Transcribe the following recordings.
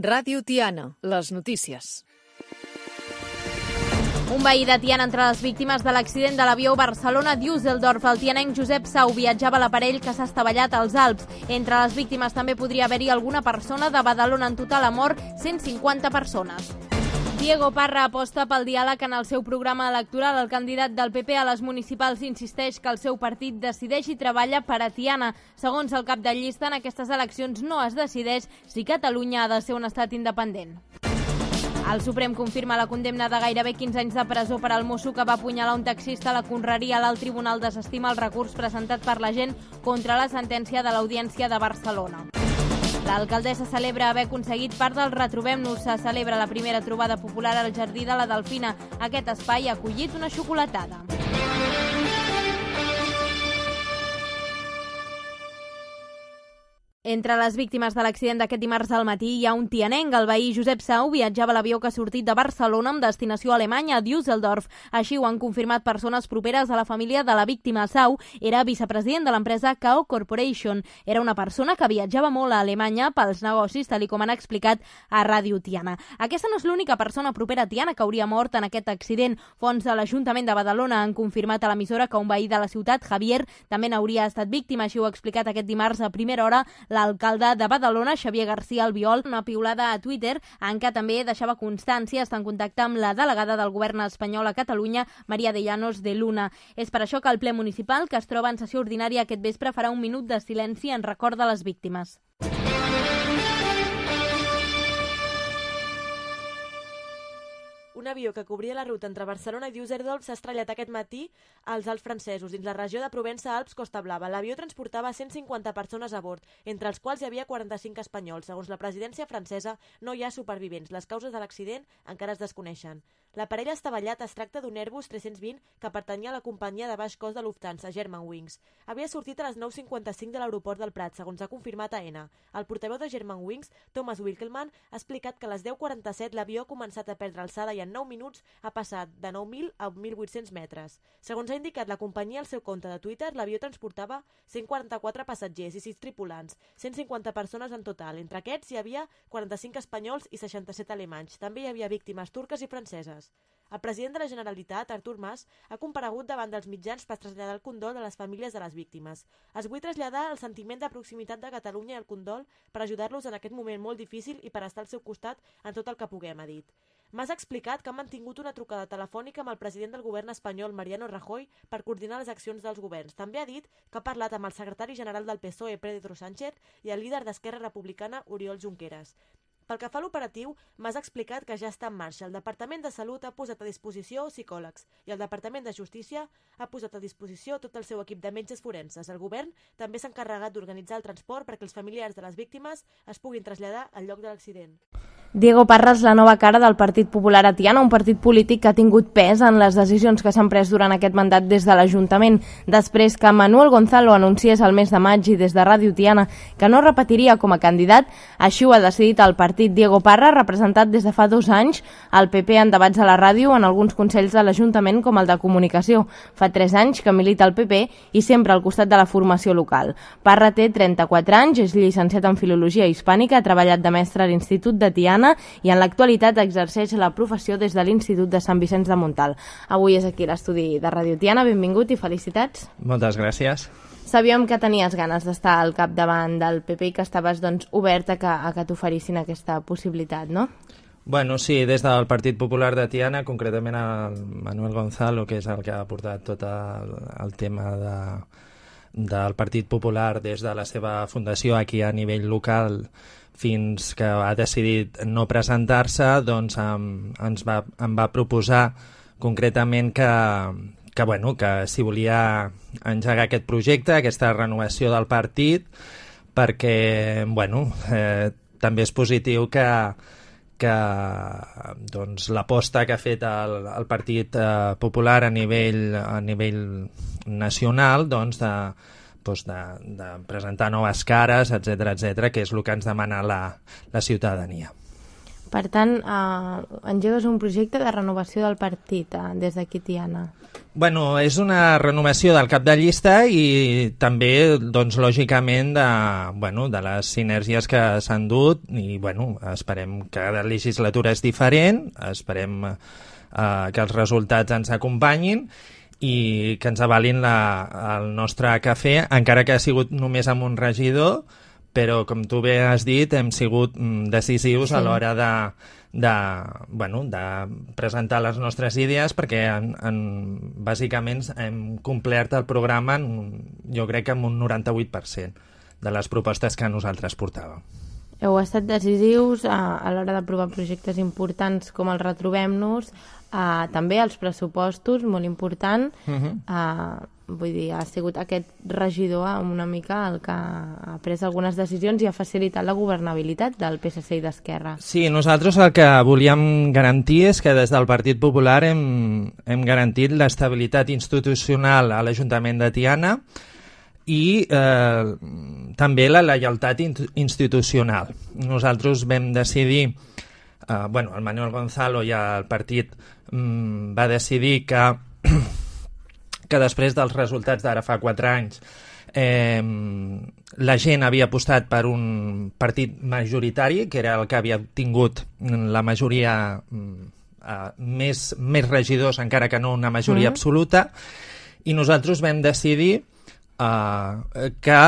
Ràdio Tiana, les notícies. Un veí de Tiana entre les víctimes de l'accident de l'avió Barcelona-Düsseldorf. El tianenc Josep Sau viatjava a l'aparell que s'ha estavellat als Alps. Entre les víctimes també podria haver-hi alguna persona de Badalona. En total ha mort 150 persones. Diego Parra aposta pel diàleg en el seu programa electoral. El candidat del PP a les municipals insisteix que el seu partit decideix i treballa per a Tiana. Segons el cap de llista, en aquestes eleccions no es decideix si Catalunya ha de ser un estat independent. El Suprem confirma la condemna de gairebé 15 anys de presó per al mosso que va apunyalar un taxista a la Conreria. L'alt tribunal desestima el recurs presentat per la gent contra la sentència de l'Audiència de Barcelona. L'alcaldessa celebra haver aconseguit part del Retrobem-nos. Se celebra la primera trobada popular al Jardí de la Delfina. Aquest espai ha acollit una xocolatada. Entre les víctimes de l'accident d'aquest dimarts al matí hi ha un tianenc. El veí Josep Sau viatjava a l'avió que ha sortit de Barcelona amb destinació alemanya a Düsseldorf. Així ho han confirmat persones properes a la família de la víctima. Sau era vicepresident de l'empresa Kao Corporation. Era una persona que viatjava molt a Alemanya pels negocis, tal com han explicat a Ràdio Tiana. Aquesta no és l'única persona propera a Tiana que hauria mort en aquest accident. Fonts de l'Ajuntament de Badalona han confirmat a l'emissora que un veí de la ciutat, Javier, també n'hauria estat víctima. Així ho ha explicat aquest dimarts a primera hora l'alcalde de Badalona, Xavier García Albiol. Una piulada a Twitter en què també deixava constància, està en contacte amb la delegada del govern espanyol a Catalunya, María de Llanos de Luna. És per això que el ple municipal, que es troba en sessió ordinària aquest vespre, farà un minut de silenci en record de les víctimes. Un avió que cobria la ruta entre Barcelona i Düsseldorf s'ha estrellat aquest matí als Alps francesos, dins la regió de Provença-Alps-Costa Blava. L'avió transportava 150 persones a bord, entre els quals hi havia 45 espanyols. Segons la presidència francesa, no hi ha supervivents. Les causes de l'accident encara es desconeixen. L'aparell estavellat es tracta d'un Airbus 320 que pertanyia a la companyia de baix cost de Lufthansa, Germanwings. Havia sortit a les 9:55 de l'aeroport del Prat, segons ha confirmat AENA. El portaveu de Germanwings, Thomas Wilkelman, ha explicat que a les 10:47 l'avió ha començat a perdre alçada i en 9 minuts ha passat de 9.000 a 1.800 metres. Segons ha indicat la companyia al seu compte de Twitter, l'avió transportava 144 passatgers i 6 tripulants, 150 persones en total. Entre aquests hi havia 45 espanyols i 67 alemanys. També hi havia víctimes turques i franceses. El president de la Generalitat, Artur Mas, ha comparegut davant dels mitjans per traslladar el condol a les famílies de les víctimes. Es vull traslladar el sentiment de proximitat de Catalunya i el condol per ajudar-los en aquest moment molt difícil i per estar al seu costat en tot el que puguem, ha dit. Mas ha explicat que han mantingut una trucada telefònica amb el president del govern espanyol, Mariano Rajoy, per coordinar les accions dels governs. També ha dit que ha parlat amb el secretari general del PSOE, Pedro Sánchez, i el líder d'Esquerra Republicana, Oriol Junqueras. Pel que fa a l'operatiu, Mas ha explicat que ja està en marxa. El Departament de Salut ha posat a disposició psicòlegs i el Departament de Justícia ha posat a disposició tot el seu equip de metges forenses. El govern també s'ha encarregat d'organitzar el transport perquè els familiars de les víctimes es puguin traslladar al lloc de l'accident. Diego Parra és la nova cara del Partit Popular a Tiana, un partit polític que ha tingut pes en les decisions que s'han pres durant aquest mandat des de l'Ajuntament. Després que Manuel Gonzalo anunciés el mes de maig i des de Ràdio Tiana que no repetiria com a candidat, així ho ha decidit el partit. Diego Parra, representat des de fa 2 anys al PP en debats a la ràdio en alguns consells de l'Ajuntament com el de Comunicació. Fa 3 anys que milita al PP i sempre al costat de la formació local. Parra té 34 anys, és llicenciat en Filologia Hispànica, ha treballat de mestre a l'Institut de Tiana i en l'actualitat exerceix la professió des de l'Institut de Sant Vicenç de Montalt. Avui és aquí l'estudi de Ràdio Tiana. Benvingut i felicitats. Moltes gràcies. Sabíem que tenies ganes d'estar al capdavant del PP i que estaves obert a que t'oferissin aquesta possibilitat, no? Bueno, sí, des del Partit Popular de Tiana, concretament el Manuel Gonzalo, que és el que ha portat tot el tema del Partit Popular des de la seva fundació aquí a nivell local fins que ha decidit no presentar-se, doncs em va proposar concretament que si volia engegar aquest projecte, aquesta renovació del partit, perquè també és positiu que doncs, l'aposta que ha fet el Partit Popular a nivell nacional doncs, de presentar noves cares, etc, que és el que ens demana la ciutadania. Per tant, engegues un projecte de renovació del partit des d'aquí, Tiana. Bueno, és una renovació del cap de llista i també, doncs, lògicament, de les sinergies que s'han dut i, bueno, esperem que cada legislatura és diferent, esperem que els resultats ens acompanyin i que ens avalin el nostre cafè, encara que ha sigut només amb un regidor, però, com tu bé has dit, hem sigut decisius a l'hora de presentar les nostres idees perquè bàsicament hem complert el programa jo crec que amb un 98% de les propostes que nosaltres portàvem. Heu estat decisius a l'hora d'aprovar projectes importants com el Retrobem-nos, també els pressupostos, molt important. Vull dir, ha sigut aquest regidor una mica el que ha pres algunes decisions i ha facilitat la governabilitat del PSC i d'Esquerra. Sí, nosaltres el que volíem garantir és que des del Partit Popular hem garantit l'estabilitat institucional a l'Ajuntament de Tiana i també la lleialtat institucional. Nosaltres vam decidir, el Manuel Gonzalo i el partit va decidir que després dels resultats d'ara fa 4 anys la gent havia apostat per un partit majoritari, que era el que havia tingut la majoria, més regidors, encara que no una majoria absoluta, i nosaltres vam decidir que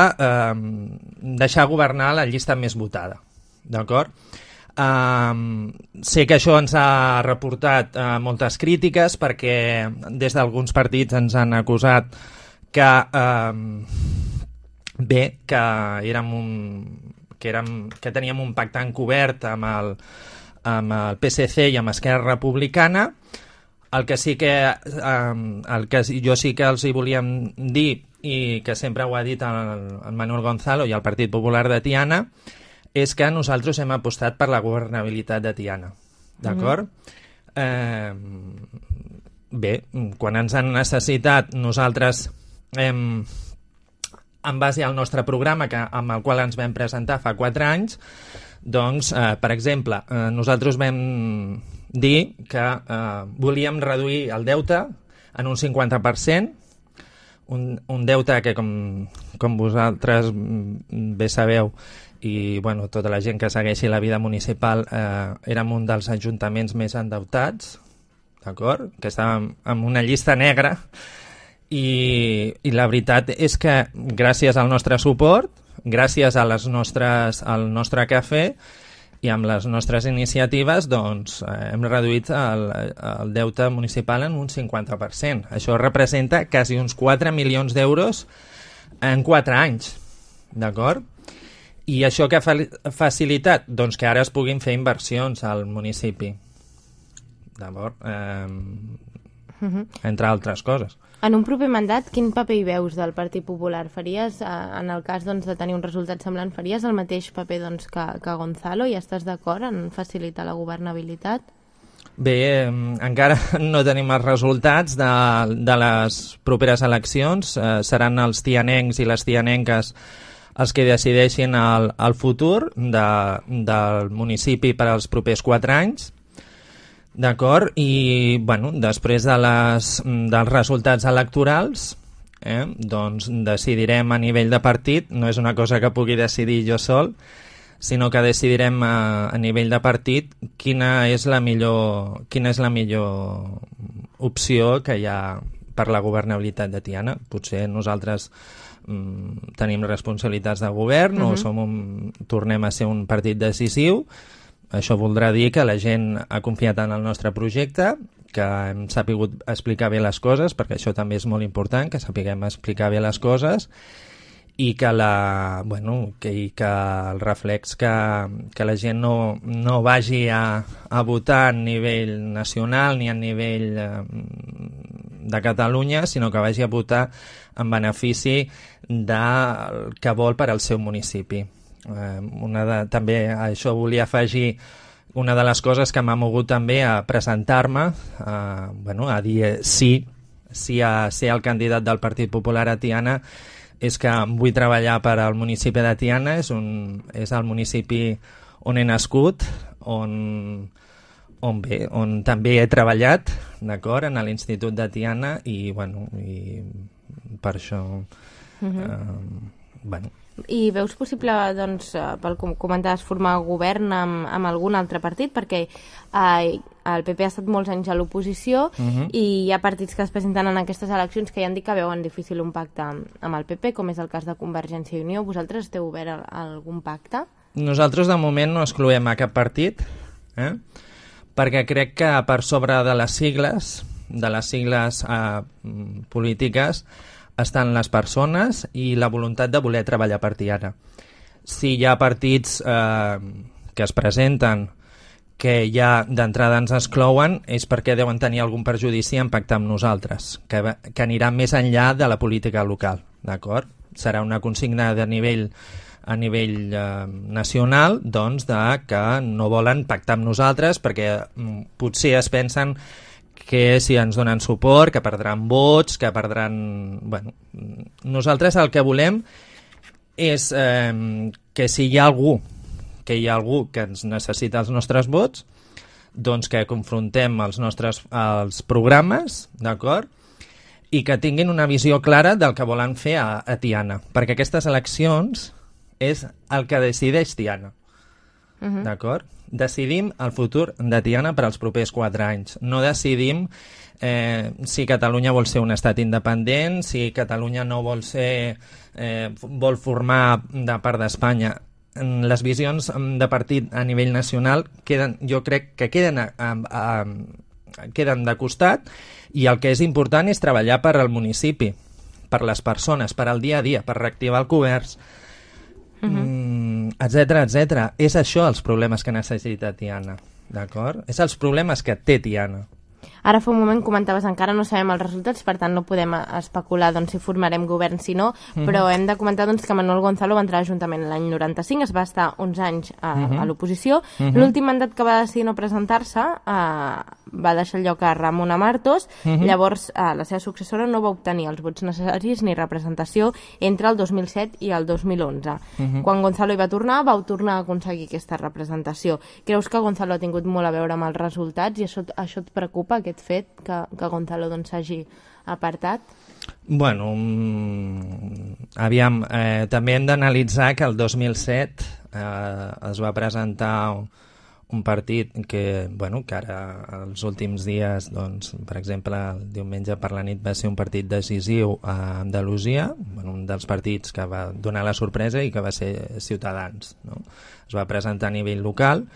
deixar governar la llista més votada. D'acord? Sé que això ens ha reportat moltes crítiques perquè des d'alguns partits ens han acusat que que teníem un pacte encobert amb el PSC i amb Esquerra Republicana. El que jo sí que els hi volíem dir, i que sempre ho ha dit el Manuel Gonzalo i el Partit Popular de Tiana, és que nosaltres hem apostat per la governabilitat de Tiana. D'acord? Bé, quan ens han necessitat, nosaltres, en base al nostre programa, amb el qual ens vam presentar fa 4 anys, doncs, per exemple, nosaltres vam dir que volíem reduir el deute en un 50%, un deute que, com vosaltres bé sabeu, i tota la gent que segueixi la vida municipal, érem un dels ajuntaments més endeutats, d'acord? Que estàvem en una llista negra, i la veritat és que gràcies al nostre suport, gràcies al nostre cafè i amb les nostres iniciatives, doncs hem reduït el deute municipal en un 50%. Això representa quasi uns 4 milions d'euros en 4 anys, d'acord? I això que ha facilitat? Doncs que ara es puguin fer inversions al municipi. D'acord? Entre altres coses. En un proper mandat, quin paper hi veus del Partit Popular? Faries, en el cas de tenir un resultat semblant, faries el mateix paper que Gonzalo i estàs d'acord en facilitar la governabilitat? Bé, encara no tenim els resultats de les properes eleccions. Seran els tianencs i les tianenques els que decideixin el futur del municipi per als propers 4 anys. D'acord? I, després dels resultats electorals, doncs decidirem a nivell de partit, no és una cosa que pugui decidir jo sol, sinó que decidirem a nivell de partit quina és la millor opció que hi ha per la governabilitat de Tiana. Potser nosaltres tenim responsabilitats de govern o tornem a ser un partit decisiu. Això voldrà dir que la gent ha confiat en el nostre projecte, que hem sapigut explicar bé les coses, perquè això també és molt important, que sapiguem explicar bé les coses, i que el reflex que la gent no vagi a votar a nivell nacional ni a nivell de Catalunya, sinó que vagi a votar en benefici del que vol per al seu municipi. També a això volia afegir una de les coses que m'ha mogut també a presentar-me, a dir sí a ser el candidat del Partit Popular a Tiana, és que vull treballar per al municipi de Tiana, és el municipi on he nascut, on també he treballat, d'acord, en l'Institut de Tiana, i per això... I veus possible, doncs, pel com comentaves, formar govern amb algun altre partit? Perquè el PP ha estat molts anys a l'oposició i hi ha partits que es presenten en aquestes eleccions que ja han dit que veuen difícil un pacte amb el PP, com és el cas de Convergència i Unió. Vosaltres esteu obert a algun pacte? Nosaltres, de moment, no excloem a cap partit, perquè crec que per sobre de les sigles polítiques, estan les persones i la voluntat de voler treballar per Tiana. Si hi ha partits que es presenten que ja d'entrada ens exclouen, és perquè deuen tenir algun perjudici en pactar amb nosaltres, que anirà més enllà de la política local, d'acord? Serà una consigna a nivell nacional, doncs, que no volen pactar amb nosaltres perquè potser es pensen que si ens donen suport, que perdran vots, que perdran... Nosaltres el que volem és que si hi ha algú que ens necessita els nostres vots, doncs que confrontem els programes, d'acord? I que tinguin una visió clara del que volen fer a Tiana, perquè aquestes eleccions és el que decideix Tiana, d'acord? Decidim el futur de Tiana per als propers 4 anys. No decidim si Catalunya vol ser un estat independent, si Catalunya no vol ser... vol formar de part d'Espanya. Les visions de partit a nivell nacional jo crec que queden de costat, i el que és important és treballar per al municipi, per les persones, per al dia a dia, per reactivar el comerç, etcètera. És això els problemes que necessita Tiana, d'acord? És els problemes que té Tiana. Ara fa un moment comentaves, encara no sabem els resultats, per tant no podem especular si formarem govern si no, però hem de comentar que Manuel Gonzalo va entrar a l'Ajuntament l'any 95, es va estar uns anys a l'oposició. L'últim mandat que va decidir no presentar-se va deixar el lloc a Ramona Martos. Llavors la seva successora no va obtenir els vots necessaris ni representació entre el 2007 i el 2011. Quan Gonzalo hi va tornar, vau tornar a aconseguir aquesta representació. Creus que Gonzalo ha tingut molt a veure amb els resultats i això et preocupa, aquest fet que Gonzalo s'hagi apartat? Bueno, aviam, també hem d'analitzar que el 2007 es va presentar un partit que ara els últims dies, doncs, per exemple, el diumenge per la nit va ser un partit decisiu a Andalusia, un dels partits que va donar la sorpresa i que va ser Ciutadans, no? Es va presentar a nivell local.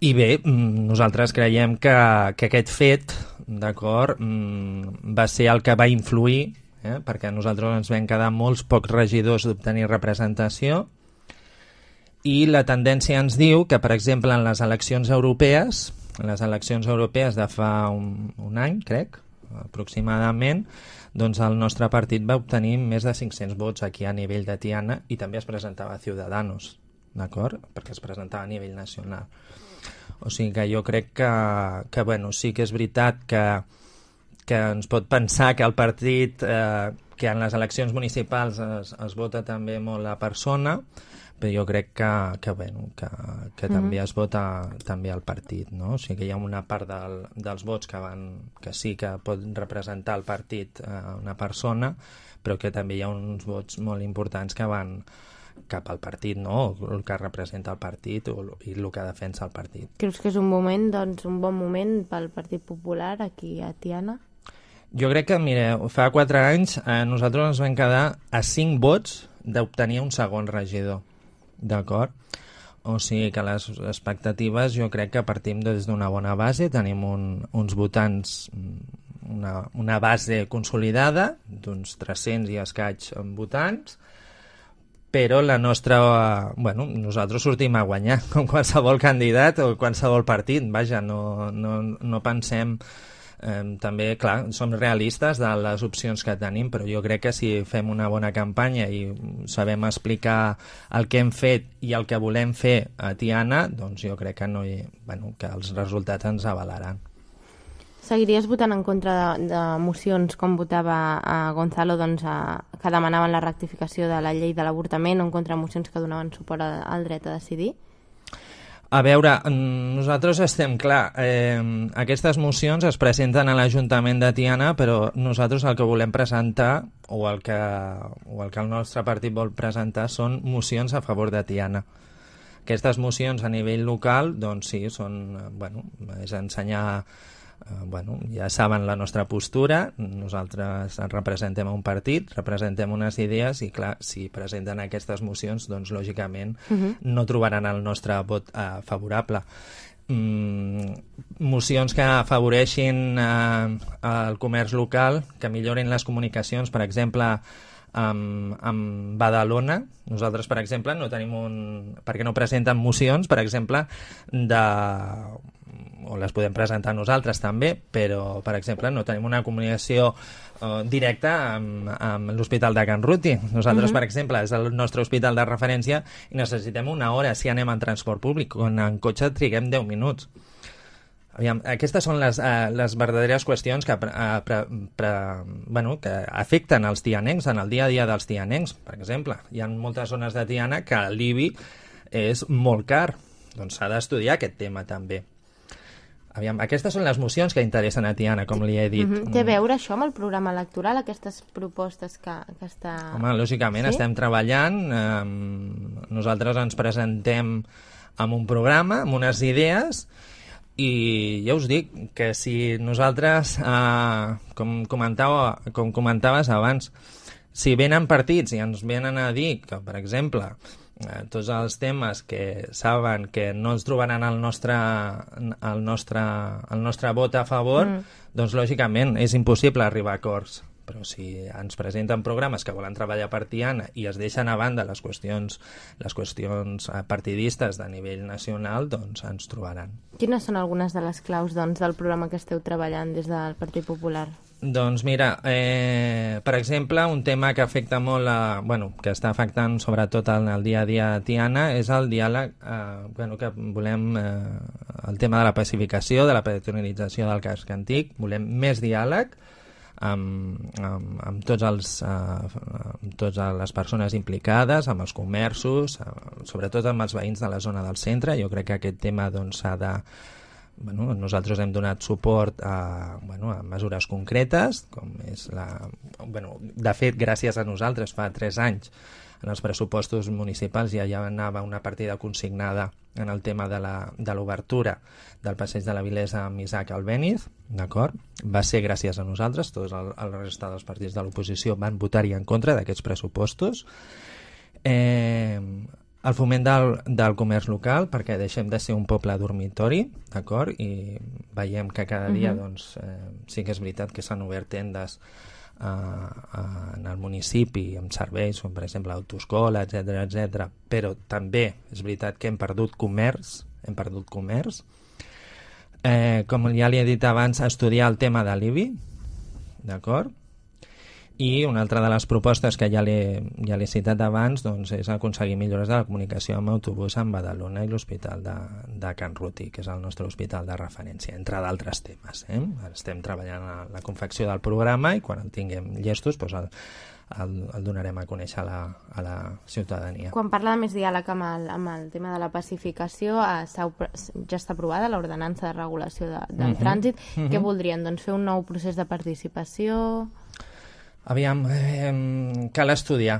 I bé, nosaltres creiem que aquest fet, d'acord, va ser el que va influir, perquè nosaltres ens vam quedar molts pocs regidors d'obtenir representació, i la tendència ens diu que, per exemple, en les eleccions europees de fa un any, crec, aproximadament, doncs el nostre partit va obtenir més de 500 vots aquí a nivell de Tiana, i també es presentava a Ciudadanos, d'acord? Perquè es presentava a nivell nacional. O sigui que jo crec que sí que és veritat que ens pot pensar que el partit, que en les eleccions municipals es vota també molt la persona, però jo crec que també es vota també el partit, no? O sigui que hi ha una part dels vots que sí que pot representar el partit una persona, però que també hi ha uns vots molt importants que van cap al partit, no? El que representa el partit i el que defensa el partit. Creus que és un moment, doncs, un bon moment pel Partit Popular aquí a Tiana? Jo crec que, mireu, fa 4 anys nosaltres ens vam quedar a 5 vots d'obtenir un segon regidor, d'acord? O sigui que les expectatives jo crec que partim des d'una bona base, tenim uns votants, una base consolidada d'uns 300 i escaig votants, però la nostra... nosaltres sortim a guanyar, com qualsevol candidat o qualsevol partit. Vaja, no pensem... també, clar, som realistes de les opcions que tenim, però jo crec que si fem una bona campanya i sabem explicar el que hem fet i el que volem fer a Tiana, doncs jo crec que els resultats ens avalaran. Seguiries votant en contra de mocions com votava Gonzalo, que demanaven la rectificació de la llei de l'avortament, o en contra de mocions que donaven suport al dret a decidir? A veure, nosaltres estem clar, aquestes mocions es presenten a l'Ajuntament de Tiana, però nosaltres el que volem presentar, o el que el nostre partit vol presentar, són mocions a favor de Tiana. Aquestes mocions a nivell local, doncs sí, són, és ensenyar, ja saben la nostra postura, nosaltres representem un partit, representem unes idees i clar, si presenten aquestes mocions, doncs lògicament no trobaran el nostre vot favorable. Mocions que afavoreixin el comerç local, que millorin les comunicacions, per exemple, amb Badalona. Nosaltres, per exemple, no tenim perquè no presenten mocions, per exemple, o les podem presentar nosaltres també, però, per exemple, no tenim una comunicació directa amb l'Hospital de Can Ruti. Nosaltres, per exemple, és el nostre hospital de referència i necessitem una hora si anem en transport públic, quan en cotxe triguem 10 minuts. Aviam, aquestes són les verdaderes qüestions que afecten els tianencs en el dia a dia dels tianencs. Per exemple, hi ha moltes zones de Tiana que l'IBI és molt car. Doncs s'ha d'estudiar aquest tema també. Aviam, aquestes són les mocions que interessen a Tiana, com li he dit. Té a veure això amb el programa electoral, aquestes propostes que està... Home, lògicament, estem treballant. Nosaltres ens presentem amb un programa, amb unes idees, i ja us dic que si nosaltres, com comentaves abans, si venen partits i ens venen a dir que, per exemple, tots els temes que saben que no ens trobaran el nostre vot a favor, doncs lògicament és impossible arribar a acords. Però si ens presenten programes que volen treballar per Tiana i es deixen a banda les qüestions partidistes de nivell nacional, doncs ens trobaran. Quines són algunes de les claus del programa que esteu treballant des del Partit Popular? Doncs mira, per exemple, un tema que afecta molt, que està afectant sobretot en el dia a dia a Tiana és el diàleg, que volem, el tema de la pacificació, de la patronització del casc antic, volem més diàleg amb totes les persones implicades, amb els comerços, sobretot amb els veïns de la zona del centre. Jo crec que aquest tema s'ha de... nosaltres hem donat suport a mesures concretes, com és de fet, gràcies a nosaltres, fa 3 anys, en els pressupostos municipals ja anava una partida consignada en el tema de l'obertura del passeig de la Vilesa amb Isaac Albéniz, d'acord? Va ser gràcies a nosaltres, tots el resta dels partits de l'oposició van votar-hi en contra d'aquests pressupostos. El foment del comerç local, perquè deixem de ser un poble dormitori, d'acord? I veiem que cada dia sí que és veritat que s'han obert tendes en el municipi amb serveis, com per exemple autoescola, etc, però també és veritat que hem perdut comerç. Com ja li he dit abans, estudiar el tema de l'IBI, d'acord? I una altra de les propostes que ja l'he citat abans és aconseguir millores de la comunicació amb autobús amb Badalona i l'Hospital de Can Ruti, que és el nostre hospital de referència, entre d'altres temes. Estem treballant a la confecció del programa i quan el tinguem llestos el donarem a conèixer a la ciutadania. Quan parla de més diàleg amb el tema de la pacificació, ja està aprovada l'ordenança de regulació del trànsit. Què voldrien? Doncs fer un nou procés de participació... Aviam, cal estudiar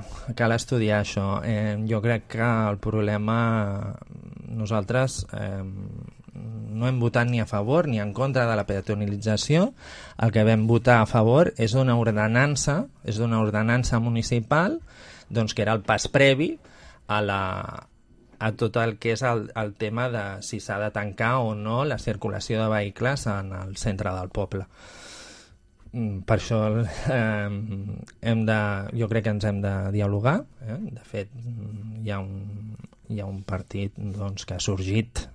això. Jo crec que el problema nosaltres no hem votat ni a favor ni en contra de la peatonalització. El que vam votar a favor és d'una ordenança municipal, doncs, que era el pas previ a tot el que és el tema de si s'ha de tancar o no la circulació de vehicles en el centre del poble. Per això jo crec que ens hem de dialogar. De fet, hi ha un partit que ha sorgit,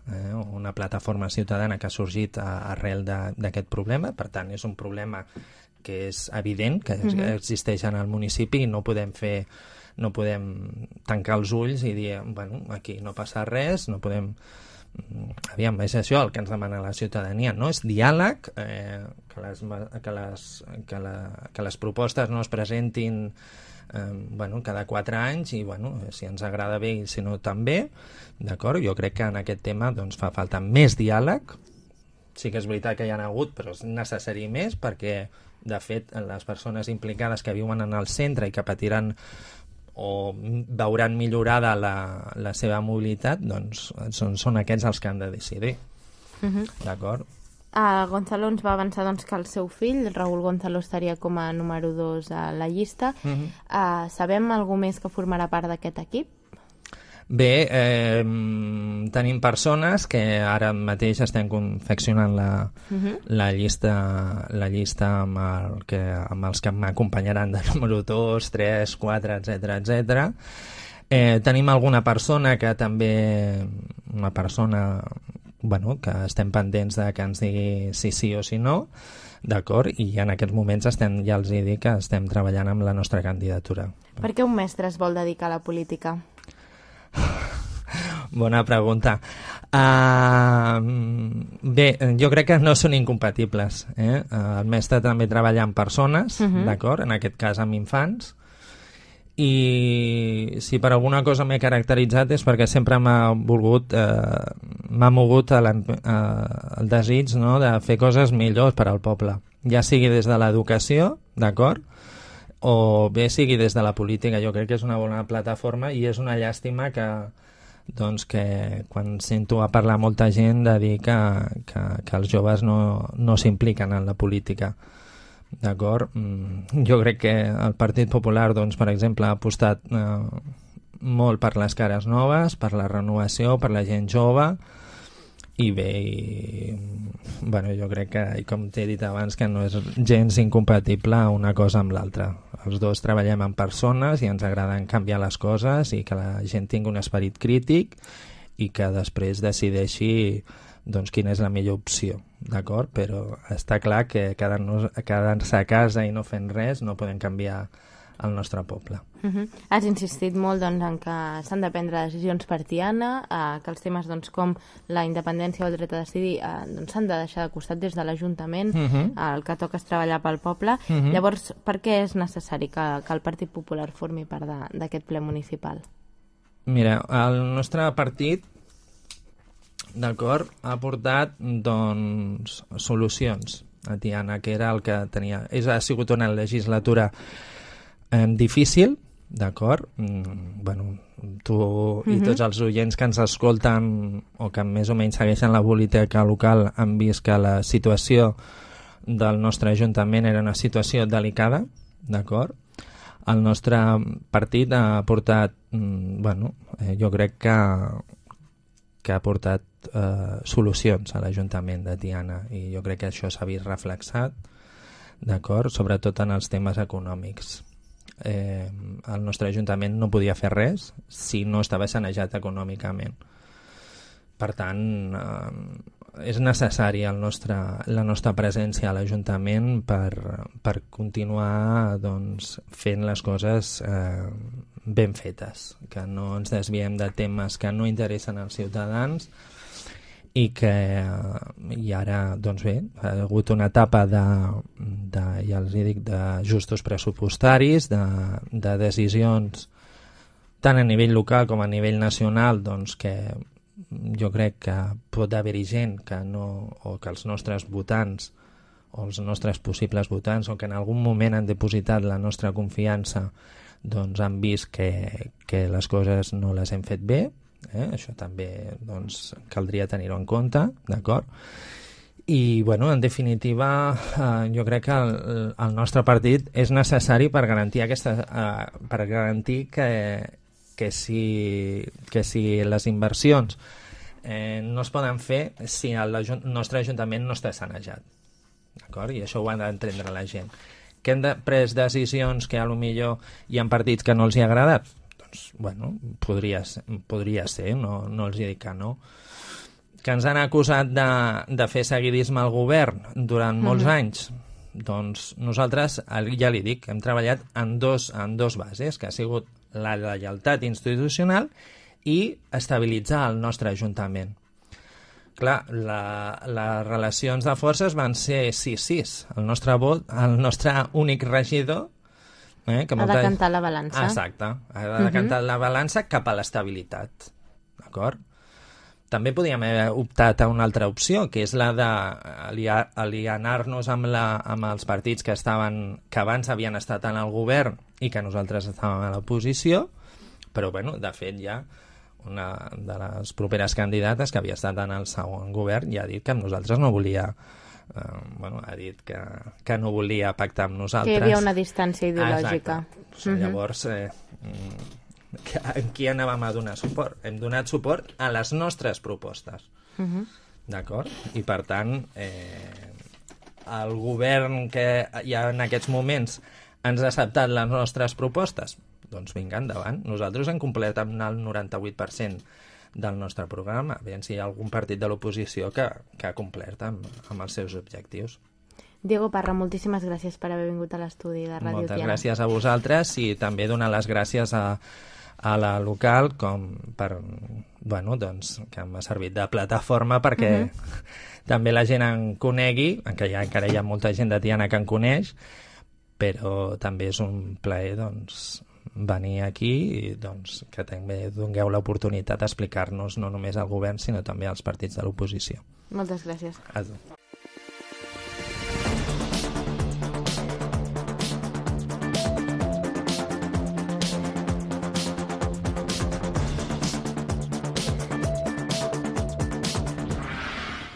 una plataforma ciutadana que ha sorgit arrel d'aquest problema. Per tant, és un problema que és evident que existeix en el municipi i no podem tancar els ulls i dir, aquí no passa res, no podem... Aviam, és això el que ens demana la ciutadania, no? És diàleg, que les propostes no es presentin cada 4 anys i si ens agrada bé i si no també, d'acord? Jo crec que en aquest tema doncs, fa falta més diàleg. Sí que és veritat que hi ha hagut, però és necessari més perquè, de fet, les persones implicades que viuen en el centre i que patiran o veuran millorada la seva mobilitat, doncs són aquests els que han de decidir. D'acord? Gonzalo ens va avançar que el seu fill, Raúl Gonzalo, estaria com a número 2 a la llista. Sabem algú més que formarà part d'aquest equip? Bé, tenim persones que ara mateix estem confeccionant la llista amb els que m'acompanyaran de número 2, 3, 4, etc. Tenim alguna persona que també, una persona que estem pendents de que ens digui si sí o si no, d'acord? I en aquests moments ja els he dit que estem treballant amb la nostra candidatura. Per què un mestre es vol dedicar a la política? Bona pregunta. Bé, jo crec que no són incompatibles. El mestre també treballa amb persones, d'acord? En aquest cas amb infants. I si per alguna cosa m'he caracteritzat és perquè sempre m'ha mogut el desig de fer coses millors per al poble. Ja sigui des de l'educació, d'acord? O bé sigui des de la política. Jo crec que és una bona plataforma i és una llàstima que quan sento a parlar molta gent de dir que els joves no s'impliquen en la política. D'acord? Jo crec que el Partit Popular, per exemple, ha apostat molt per les cares noves, per la renovació, per la gent jove, i bé, jo crec que, com t'he dit abans, que no és gens incompatible una cosa amb l'altra. Els dos treballem amb persones i ens agraden canviar les coses i que la gent tingui un esperit crític i que després decideixi quina és la millor opció, d'acord? Però està clar que quedant-se a casa i no fent res no podem canviar el nostre poble. Has insistit molt en que s'han de prendre decisions per Tiana, que els temes com la independència o el dret a decidir s'han de deixar de costat des de l'Ajuntament, el que toca és treballar pel poble. Llavors, per què és necessari que el Partit Popular formi part d'aquest ple municipal? Mira, el nostre partit, d'acord, ha portat solucions a Tiana, que era el que tenia. Ha sigut una legislatura difícil, d'acord? Tu i tots els oients que ens escolten o que més o menys segueixen la política local han vist que la situació del nostre Ajuntament era una situació delicada, d'acord? El nostre partit ha portat, jo crec que ha portat solucions a l'Ajuntament de Tiana i jo crec que això s'ha vist reflexat, d'acord? Sobretot en els temes econòmics. El nostre Ajuntament no podia fer res si no estava sanejat econòmicament. Per tant, és necessari la nostra presència a l'Ajuntament per continuar fent les coses ben fetes, que no ens desviem de temes que no interessen als ciutadans i ara, ha hagut una etapa ja els dic, d'ajustos pressupostaris, de decisions tant a nivell local com a nivell nacional, que jo crec que pot haver-hi gent o que els nostres votants o els nostres possibles votants o que en algun moment han depositat la nostra confiança han vist que les coses no les hem fet bé. Això també caldria tenir-ho en compte, d'acord? I, en definitiva, jo crec que el nostre partit és necessari per garantir que si les inversions no es poden fer si el nostre Ajuntament no està sanejat, d'acord? I això ho ha d'entendre la gent. Que hem pres decisions que potser hi ha partits que no els hi ha agradat? Podria ser, no els dic que no. Que ens han acusat de fer seguidisme al govern durant molts anys? Doncs nosaltres, ja li dic, hem treballat en dos bases, que ha sigut la lleialtat institucional i estabilitzar el nostre Ajuntament. Clar, les relacions de forces van ser 6-6. El nostre únic regidor Ha de cantar la balança. Exacte, ha de cantar la balança cap a l'estabilitat, d'acord? També podíem haver optat a una altra opció, que és la d'alienar-nos amb els partits que abans havien estat en el govern i que nosaltres estàvem a l'oposició, però, bueno, de fet, ja una de les properes candidates que havia estat en el segon govern ja ha dit que amb nosaltres no volia... ha dit que no volia pactar amb nosaltres. Que hi havia una distància ideològica. Llavors, a qui anàvem a donar suport? Hem donat suport a les nostres propostes. D'acord? I, per tant, el govern que ja en aquests moments ens ha acceptat les nostres propostes, doncs vinga, endavant. Nosaltres hem complert amb el 98% del nostre programa. Aviam si hi ha algun partit de l'oposició que ha complert amb els seus objectius. Diego Parra, moltíssimes gràcies per haver vingut a l'estudi de Ràdio Tiana. Moltes gràcies a vosaltres i també donar les gràcies a la local que m'ha servit de plataforma perquè també la gent en conegui, encara hi ha molta gent de Tiana que en coneix, però també és un plaer venir aquí i que també dongueu l'oportunitat d'explicar-nos no només al govern sinó també als partits de l'oposició. Moltes gràcies.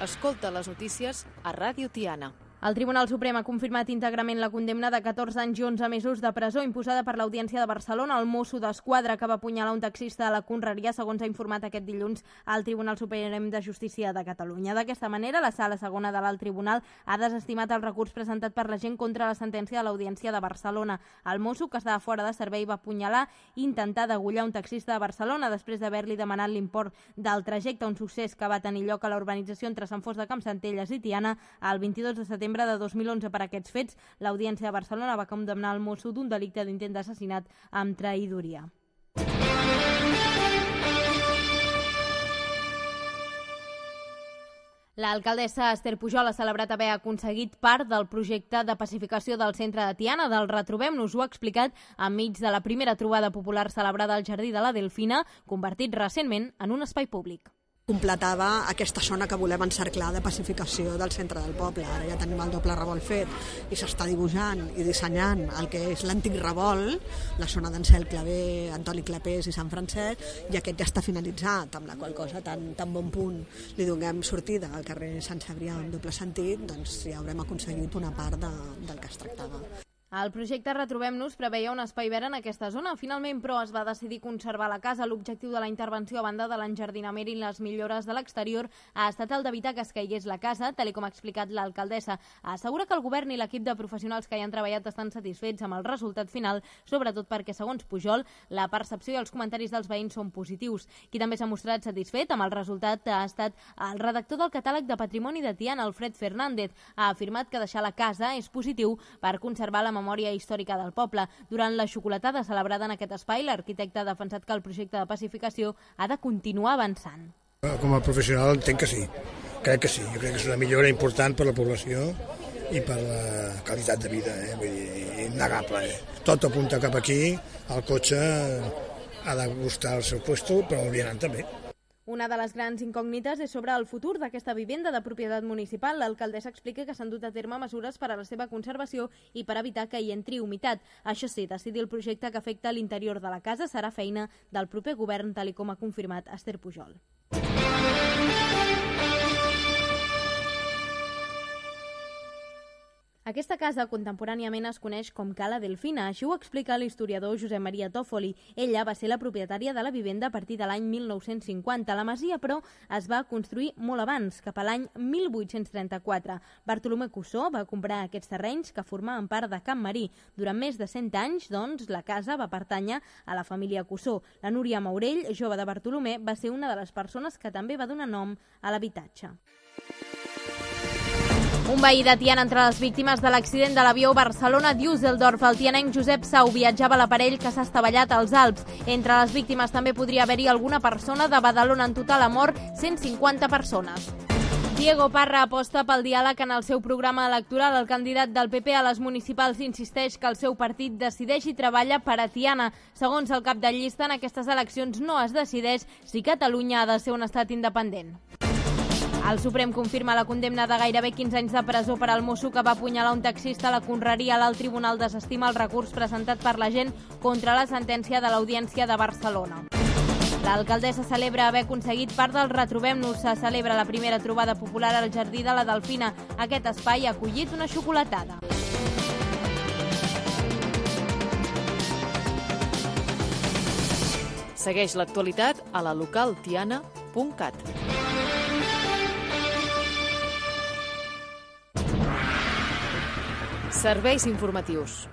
Escolta les notícies a Ràdio Tiana. El Tribunal Suprem ha confirmat íntegrament la condemna de 14 anys i 11 mesos de presó imposada per l'Audiència de Barcelona al mosso d'Esquadra que va apunyalar un taxista a la Conreria, segons ha informat aquest dilluns al Tribunal Suprem de Justícia de Catalunya. D'aquesta manera, la Sala Segona de l'Alt Tribunal ha desestimat el recurs presentat per la gent contra la sentència de l'Audiència de Barcelona. El mosso, que estava fora de servei, va apunyalar i intentar degollar un taxista de Barcelona després d'haver-li demanat l'import del trajecte, un succés que va tenir lloc a la urbanització entre Sant Fost de Campsentelles i Tiana el 22 de setembre de 2011. Per aquests fets, l'Audiència de Barcelona va condemnar el mosso d'un delicte d'intent d'assassinat amb traïdoria. L'alcaldessa Esther Pujol ha celebrat haver aconseguit part del projecte de pacificació del centre de Tiana. Del Retrobem-nos ho ha explicat enmig de la primera trobada popular celebrada al Jardí de la Delfina, convertit recentment en un espai públic. Completava aquesta zona que volem encerclar de pacificació del centre del poble. Ara ja tenim el doble revolt fet i s'està dibuixant i dissenyant el que és l'antic revolt, la zona d'Ansel Clavé, Antoni Clapés i Sant Francesc, i aquest ja està finalitzat, amb la qual cosa tan bon punt li donem sortida al carrer Sant Cebrià en doble sentit, doncs ja haurem aconseguit una part del que es tractava. El projecte Retrobem-nos preveia un espai verd en aquesta zona. Finalment, però, es va decidir conservar la casa. L'objectiu de la intervenció, a banda de l'enjardinament i les millores de l'exterior, ha estat el d'evitar que es caigués la casa, tal com ha explicat l'alcaldessa. Assegura que el govern i l'equip de professionals que hi han treballat estan satisfets amb el resultat final, sobretot perquè, segons Pujol, la percepció i els comentaris dels veïns són positius. Qui també s'ha mostrat satisfet amb el resultat ha estat el redactor del catàleg de patrimoni de Tiana, Alfred Fernández. Ha afirmat que deixar la casa és positiu per conservar la memòria històrica del poble. Durant la xocolatada celebrada en aquest espai, l'arquitecte ha defensat que el projecte de pacificació ha de continuar avançant. Com a professional entenc que sí, crec que sí. Jo crec que és una millora important per la població i per la qualitat de vida, vull dir, innegable. Tot apunta cap aquí, el cotxe ha de buscar el seu puesto, però el vianant també. Una de les grans incògnites és sobre el futur d'aquesta vivenda de propietat municipal. L'alcaldessa explica que s'han dut a terme mesures per a la seva conservació i per evitar que hi entri humitat. Això sí, decidir el projecte que afecta l'interior de la casa serà feina del proper govern, tal com ha confirmat Esther Pujol. Aquesta casa contemporàniament es coneix com Cala Delfina, així ho explica l'historiador Josep Maria Tòfoli. Ella va ser la propietària de la vivenda a partir de l'any 1950. La masia, però, es va construir molt abans, cap a l'any 1834. Bartolomé Cussó va comprar aquests terrenys que formaven part de Camp Marí. Durant més de 100 anys, doncs, la casa va pertànyer a la família Cussó. La Núria Maurell, jove de Bartolomé, va ser una de les persones que també va donar nom a l'habitatge. Un veí de Tiana entre les víctimes de l'accident de l'avió Barcelona-Düsseldorf. El tianenc Josep Sau viatjava a l'aparell que s'ha estavellat als Alps. Entre les víctimes també podria haver-hi alguna persona de Badalona. En total ha mort 150 persones. Diego Parra aposta pel diàleg en el seu programa electoral. El candidat del PP a les municipals insisteix que el seu partit decideix i treballa per a Tiana. Segons el cap de llista, en aquestes eleccions no es decideix si Catalunya ha de ser un estat independent. El Suprem confirma la condemna de gairebé 15 anys de presó per al mosso que va apunyalar un taxista a la Conreria. L'alt tribunal desestima el recurs presentat per la gent contra la sentència de l'Audiència de Barcelona. L'alcaldessa celebra haver aconseguit part del Retrobem-nos. Se celebra la primera trobada popular al Jardí de la Delfina. Aquest espai ha acollit una xocolatada. Segueix l'actualitat a la localtiana.cat. Serveis informatius.